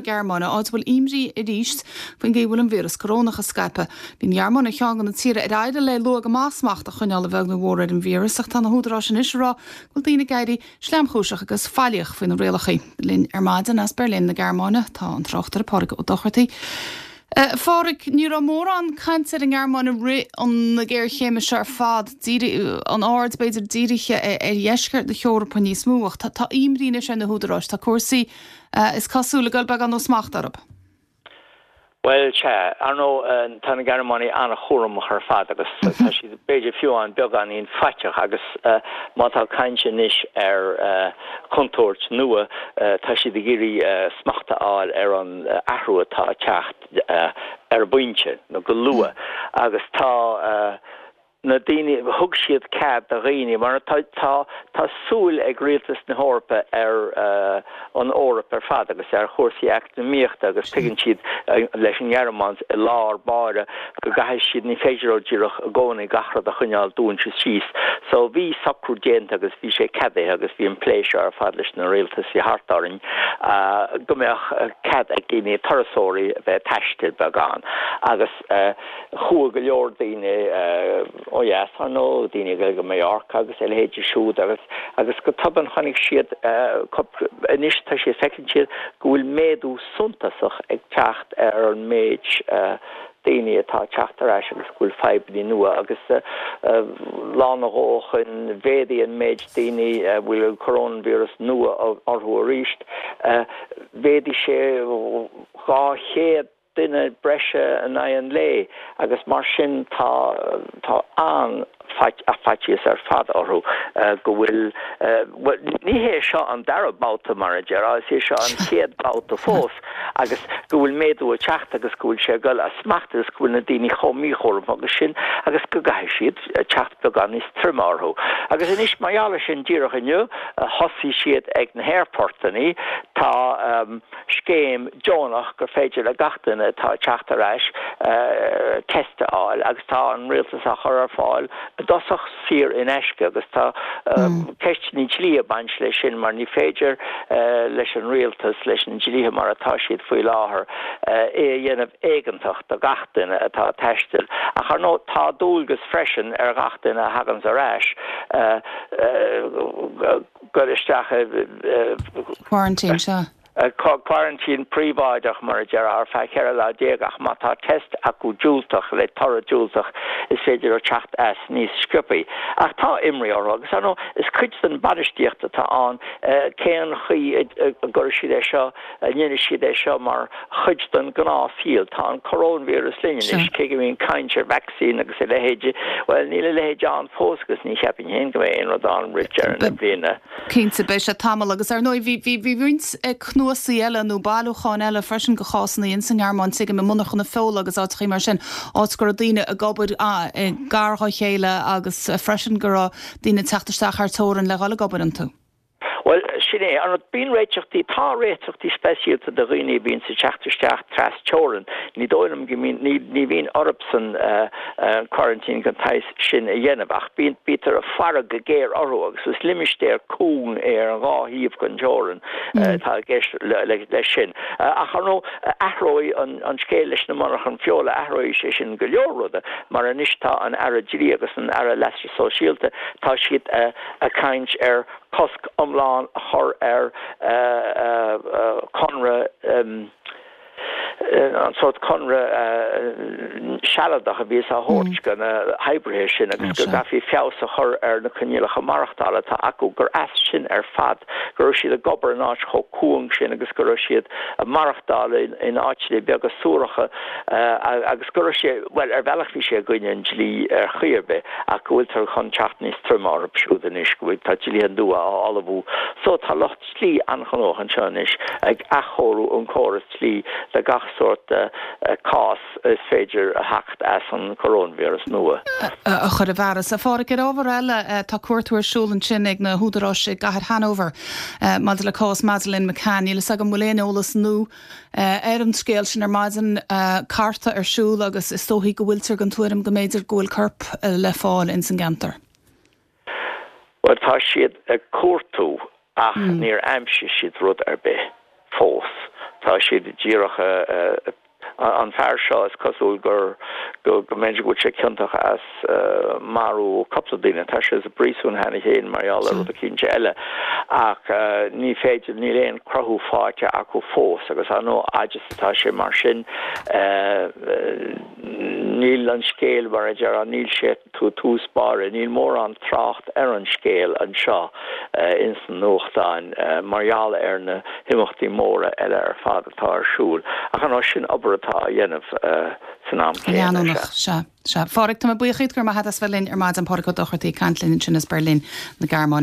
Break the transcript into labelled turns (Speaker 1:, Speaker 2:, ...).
Speaker 1: Gearmáine, áit a bhfuil imní arís faoin gcaoi a bhfuil an víreas corónach ag scaipeadh. Bhí an Ghearmáin ar cheann de na tíortha ar éirigh léi luath go maith smacht a choinneáil a bheag nó a mhór ar an víreas ach tá na húdaráis anois ag rá go bhfuil daoine ag éirí sleamchúiseach agus faillíoch faoi na rialacha. Linn ar maidin as Berlin na Gearmáine tá an tráchtaire Pádraig Ó Dochartaigh. A Phádraig, ní raibh mórán cainte ar an nGearmáin i rith na géarchéime seo ar fad, an aird b'fhéidir dírithe ar dheisceart na hEorpa níos mó, ach tá imní anois ar na húdaráis, tá cúrsaí, is cosúil, ag dul beagán ó smacht orthu.
Speaker 2: Bhuel, sea, ar ndóigh, tá na Gearmánaigh an-chúramach ar fad agus tá siad, b'fhéidir fiú amháin, beagáinín faiteach agus má tá caint anois ar chontúirt nua, tá siad ag iarraidh smacht a fháil ar an athrú atá ag teacht ar an bpointe, nó go luath, agus tá na daoine, thug siad cead do dhaoine, mar tá, tá, tá súil ag rialtas na hEorpa ar an Eoraip ar fad agus ar chúrsaí eacnamaíochta agus tuigeann siad leis an nGearmáin i lár báire go gcaithfidh siad, ní féidir leo díreach i gcónaí gach rud a choinneáil dúnta síos. So bhí socrú déanta agus bhí sé ceadaithe agus bhí an plé seo ar fad leis na rialtaisí thart orainn go mbeadh cead ag daoine, turasóirí a bheith ag taisteal beagán agus chuaigh go leor daoine ó dheas, ar ndóigh, daoine ag dul go Mallorca agus a leithéidí siúd agus agus go tobann chonaic siad anois tá siad, feiceann siad go bhfuil méadú suntasach ag teacht ar an méid daoine atá ag teacht ar ais agus go bhfuil fadhbanna nua agus lá nó dhó ó shoin mhéadaigh an méid daoine a bhfuil an coróinvíreas nua orthu arís, mhéadaigh sé 200 duine breise in aghaidh an lae agus mar sin tá tá an-fhaitíos ar fad orthu go bhfuil, bhuel, ní hé seo an dara babhta mar a déarfá, is é seo an chéad bhabhta fós agus go bhfuil méadú ag teacht agus go bhfuil sé ag dul as smacht agus go bhfuil na daoine chomh míchúramach agus sin agus go gcaithfidh siad teacht beagán níos troime orthu. Agus anois mar gheall ar sin díreach inniu thosaigh siad ag na haerphortanna, tá scéim deonach gur féidir le gach duine atá ag teacht ar ais test a fháil agus tá an rialtas á chur ar fáil i dtosach saor in aisce agus tá ceisteanna dlí ag baint leis sin mar ní féidir leis an rialtas, leis na dlíthe mar atá siad faoi láthair, é a dhéanamh éigeantach do gach duine atá ag taisteal. Ach ar ndóigh tá dualgas freisin ar ghach duine a thaganns ar ais dul isteach i
Speaker 1: Quarantine, sea.
Speaker 2: Quarantine príobháideach, mar a déarfá, ar feadh 14 lá ach má tá test acu diúltach, le toradh diúltach, is féidir leo teacht as níos sciobthaí. Ach tá imní orthu agus, ar ndóigh, is cuid den bhainistíocht atá ann cén chaoi a gcuirfidh siad é seo, a ndéanfaidh siad é seo mar chuid den ghnáthshaol. Tá an coróinvíreas linn anois, cé go mbíonn caint ar vacsaín agus a leithéid, bhuel, níl a leithéid ann fós agus ní cheapfainn féin go mbeidh aon rud ann roimh deireadh na bliana.
Speaker 1: Cinnte, beidh sé tamall agus ar ndóigh bhí, bhí, bhí roinnt cnuasaigh eile nó bailiúcháin eile freisin de chásanna ins an nGearmáin, tuigim, i monarchana feola agus áiteachaí mar sin, áit go raibh daoine ag obair gar dá chéile agus freisin go raibh daoine ag teacht isteach thar teorainn le dhul ag obair iontu.
Speaker 2: Bhuel, sin é. An rud, bíonn réiteachtaí, tá réiteachtaí speisialta do dhaoine a bhíonns ag teacht isteach tras teorainn. Ní dóigh liom go mbíonn, ní, ní bhíonn orthusan quarantine den tsaghas sin a dhéanamh ach bíonn, bítear ag faire go géar orthu agus is limistéar cúng é ar an dhá thaobh den teorainn atá i gceist leis sin. Ach ar ndóigh, athróidh an scéal leis na monarchan feola, athróidh sé sin go leor ruda mar anois tá an Aire Dlí agus an Aire Leasa Sóisialta, tá siad ag caint ar cosc iomlán a chur ar chonradh, an sórt conradh sealadach a bhíos á thabhairt do na hoibrithe sin agus go gcaithfí feabhas a chur ar na coinníollacha maireachtála atá acu, gur as sin ar fad go raibh siad ag obair in áit chomh cúng sin agus go raibh siad ag maireachtáil in áiteanna beaga suaracha agus go raibh sé, bhuel, ar bhealach bhí sé i gcoinne an dlí ar chaoi ar bith ach go bhfuiltear chun teacht níos troime orthu siúd anois, go bhfuil, tá dlíthe nua á ullmhú so tá lucht dlí an-ghnóthach anseo anois ag athchóiriú an córas dlí le gach sórt cás is féidir a theacht as an coróinvíreas nua.
Speaker 1: a chur i bhfearas. A Pháraic, ar ábhar eile, tá cuartú ar siúl ansin ag na húdaráis i gcathair Hanover maidir le cás Madeleine McCann. Níl fhios agam an bhfuil aon eolas nua ar an scéal sin ar maidin. Cartadh ar siúl agus is dóichí go bhfuiltear den tuairim go mb'fhéidir go bhfuil corp le fáil ins an gceantar.
Speaker 2: Bhuel, tá siad ag cuartú ach níor aimsigh siad rud ar bith fós. Tá siad díreach an fear seo, is cosúil gur, go mb'fhéidir go bhfuil sé ciontach as marú cúpla duine. Tá sé sa bpríosún cheana féin mar gheall ar rud eicínt eile ach ní féidir, níl aon cruthú faighte acu fós agus ar ndóigh fhad is atá sé mar sin níl an scéal mar a déarfá, níl sé tús báire, níl mórán trácht ar an scéal anseo ins na nuachtáin mar gheall ar na himeachtaí móra eile ar fad atá ar siúl. Ach ar ndóigh sin obair atá á dhéanamh san am céanna.
Speaker 1: Leanúnach, sea. Sea. Phádraig, tá mé buíoch díot, go raibh maith agat as bheith linn ar maidin, Pádraig Ó Dochartaigh ag caint linn ansin as Berlin na Gearmáine.